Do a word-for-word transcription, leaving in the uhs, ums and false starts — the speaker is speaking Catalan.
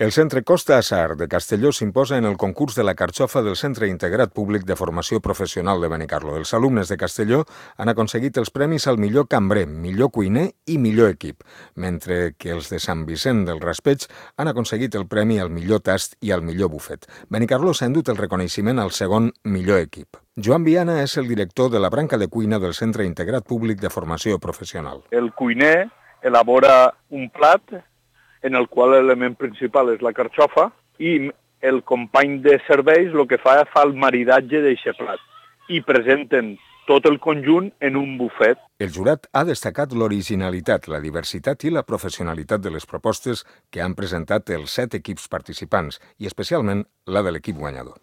El Centre Costa Assar de Castelló s'imposa en el concurs de la carxofa del Centre Integrat Públic de Formació Professional de Benicarló. Els alumnes de Castelló han aconseguit els premis al millor cambrer, millor cuiner i millor equip, mentre que els de Sant Vicent del Raspeig han aconseguit el premi al millor tast i al millor bufet. Benicarló s'ha endut el reconeixement al segon millor equip. Joan Viana és el director de la branca de cuina del Centre Integrat Públic de Formació Professional. El cuiner elabora un plat en el qual l'element principal és la carxofa i el company de serveis el que fa és fa el maridatge d'aquest plat i presenten tot el conjunt en un bufet. El jurat ha destacat l'originalitat, la diversitat i la professionalitat de les propostes que han presentat els set equips participants i especialment la de l'equip guanyador.